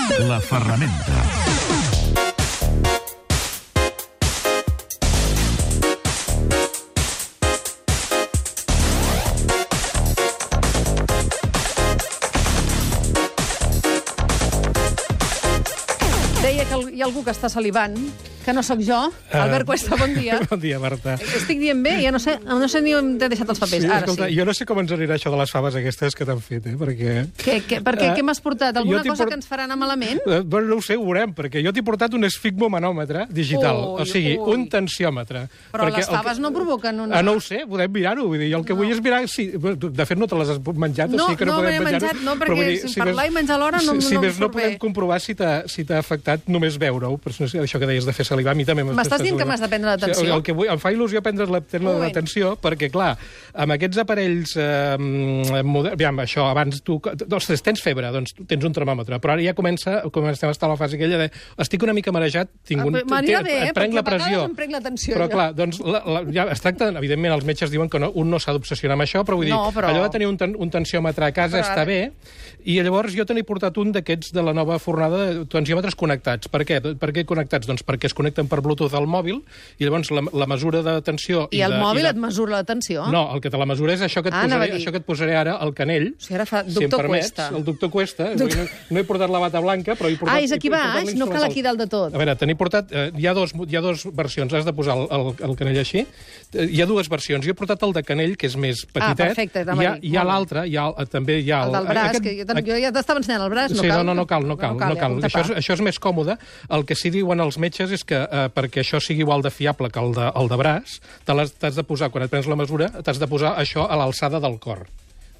La ferramenta. Deia que hi ha algú que està salivant, que no sóc jo. Albert Cuesta, bon dia. Bon dia, Marta. Estic dient bé? Ja no sé ni on t'he deixat els papers. Sí, Ara escolta, sí. jo no sé com ens anirà això de les faves aquestes que t'han fet, perquè... Què m'has portat? Alguna cosa que ens farà anar malament? Bueno, no ho sé, ho veurem, perquè jo t'he portat un esfigmomanòmetre digital, o sigui, un tensiòmetre. Però les faves no provoquen una... No ho sé, podem mirar-ho. Vull dir, jo el que vull és mirar... Sí, de fet, no te les has menjat, o sigui que no podem menjar-ho. No, perquè si parlar i menjar alhora no em surt bé. Si més no podem comprovar si t'ha afectat només veure-ho. Això que deies de fer salivar, a mi també m'estàs dient que m'has de prendre l'atenció? El que vull, em fa il·lusió prendre l'atenció, perquè, clar, amb aquests aparells aviam, això, abans tu... Ostres, tens febre, doncs tens un termòmetre, però ara ja comencem a estar a la fase aquella de estic una mica marejat, et prenc la pressió. Em prenc l'atenció. Però, clar, doncs, ja es tracta, evidentment, els metges diuen que un no s'ha d'obsessionar amb això, però vull dir, allò de tenir un tensiòmetre a casa està bé, i llavors jo te n'he portat un d'aquests de la nova fornada de tensiòmetres connectats. Per què? Per què connectats? Doncs perquè es connecten per Bluetooth al mòbil i llavors la mesura de tensió... I el mòbil et mesura la tensió? No, el que te la mesura és això que et posaré ara al canell. O sigui, ara fa doctor Cuesta. El doctor Cuesta. No he portat la bata blanca, però he portat... És aquí baix? No cal aquí dalt de tot. A veure, te n'he portat... Hi ha dos versions. Has de posar el canell així. Hi ha dues versions. Jo he portat el de canell, que és més petitet. Perfecte. Hi ha l'altre, també hi ha... El del braç, que jo ja t'estava ensenyant el braç. Sí, no cal. Això és més còmode. El que sí diuen els metges és que perquè això sigui igual de fiable que el de braç, t'has de posar, quan et prens la mesura, t'has de posar això a l'alçada del cor.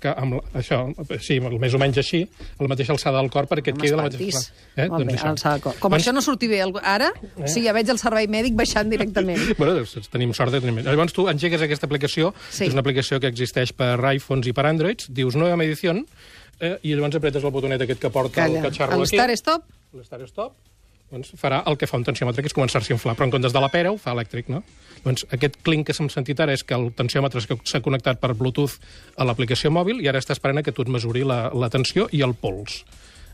Que amb això, sí, més o menys així, a la mateixa alçada del cor, perquè et queda la mateixa... Molt bé, alçada del cor. Com això no surti bé ara, sí, ja veig el servei mèdic baixant directament. Bueno, tenim sort de tenir... Llavors tu engegues aquesta aplicació, és una aplicació que existeix per iPhones i per Androids, dius Nueva Medición, i llavors apretes el botonet aquest que porta el catxarro aquí. El Start Stop? El Start Stop. Doncs farà el que fa un tensiòmetre, que és començar-se a inflar, però en comptes de la pera ho fa elèctric, no? Doncs aquest clink que s'hem sentit ara és que el tensiòmetre s'ha connectat per Bluetooth a l'aplicació mòbil i ara està esperant que tu et mesuri la tensió i el pols.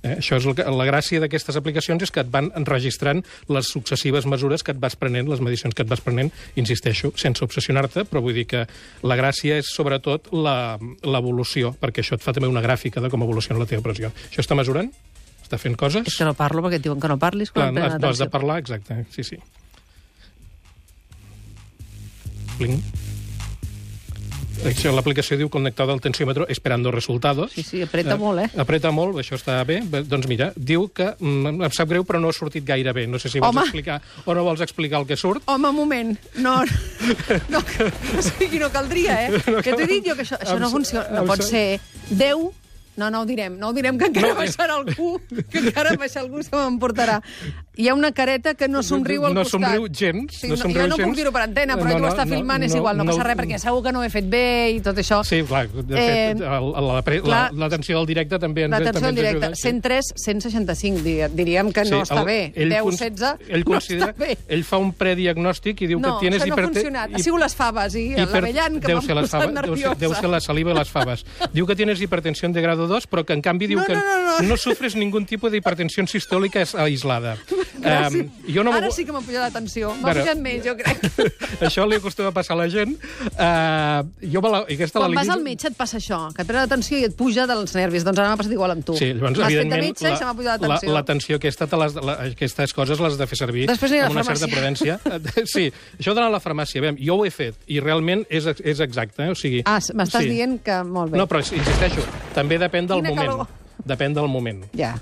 Això és la gràcia d'aquestes aplicacions, és que et van enregistrant les successives mesures que et vas prenent, les medicions que et vas prenent, insisteixo, sense obsessionar-te, però vull dir que la gràcia és sobretot l'evolució, perquè això et fa també una gràfica de com evoluciona la teva pressió. Això està mesurant? Està fent coses? És que no parlo perquè et diuen que no parlis. Clar, no has de parlar, exacte, sí. Pling. L'aplicació diu connectada al tensiòmetre esperando resultados. Sí, apreta molt, Apreta molt, això està bé. Doncs mira, diu que em sap greu, però no ha sortit gaire bé. No sé si vols explicar o no vols explicar el que surt. Home, un moment. No, o sigui, no caldria, Que t'he dit jo que això no funciona. No pot ser 10... No ho direm, que encara baixarà algú, que encara baixarà algú, se m'emportarà. Hi ha una careta que no somriu al costat. No somriu gens. Jo no puc dir-ho per antena, però ell ho està filmant, és igual, no passa res, perquè segur que no ho he fet bé i tot això. Sí, clar, de fet, l'atenció del directe també ens ajuda. L'atenció del directe, 103, 165, diríem que no està bé. 10, 16, no està bé. Ell fa un prediagnòstic i diu que tienes hipertensió... No, això no ha funcionat. Ha sigut les faves i l'avellan que m'han posat nerviosa. Deu ser la saliva i les faves. Diu que tienes hipertensió de grado 2, però que en canvi diu que no sufres ningún tipo de hipertensión sistólica aislada. Gràcies. Ara sí que m'ha pujat la tensió. M'ha pujat més, jo crec. Això li acostuma a passar a la gent. Quan vas al metge et passa això, que et pren la tensió i et puja dels nervis. Doncs ara m'ha passat igual amb tu. Sí, llavors, m'has fet de metge i se m'ha pujat la tensió. La tensió aquesta, aquestes coses les has de fer servir amb una certa prudència. Sí, això d'anar a la farmàcia. Jo ho he fet i realment és exacte. M'estàs dient que molt bé. No, però insisteixo, també depèn del moment. Depèn del moment. Ja,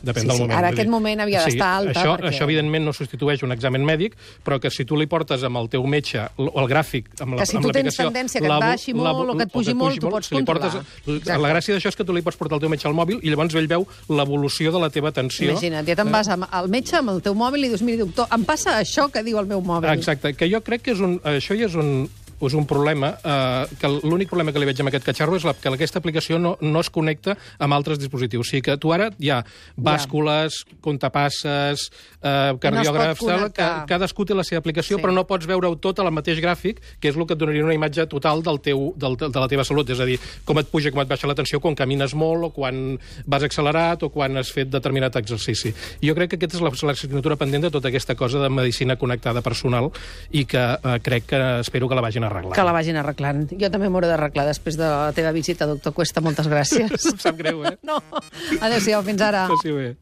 ara aquest moment havia d'estar alta. Això, evidentment, no substitueix un examen mèdic, però que si tu li portes amb el teu metge el gràfic, amb l'aplicació... Que si tu tens tendència que et baixi molt o que et pugi molt, tu pots controlar. La gràcia d'això és que tu li pots portar el teu metge al mòbil i llavors ell veu l'evolució de la teva tensió. Imagina't, ja te'n vas al metge amb el teu mòbil i dius, mira, doctor, em passa això que diu el meu mòbil. Exacte, que jo crec que això ja és un és un problema, que l'únic problema que li veig amb aquest catxarro és que aquesta aplicació no es connecta amb altres dispositius. O sigui que tu ara hi ha bàscules, comptapasses, cardiògrafs, cadascú té la seva aplicació, però no pots veure-ho tot al mateix gràfic, que és el que et donaria una imatge total de la teva salut. És a dir, com et puja, com et baixa la tensió, quan camines molt, o quan vas accelerat, o quan has fet determinat exercici. Jo crec que aquesta és l'assignatura pendent de tota aquesta cosa de medicina connectada personal i que crec que espero que la vagin arreglant. Que la vagin arreglant. Jo també m'hauré d'arreglar després de la teva visita, doctor Cuesta. Moltes gràcies. Em sap greu, eh? No. Adéu-siau, fins ara. Passi bé.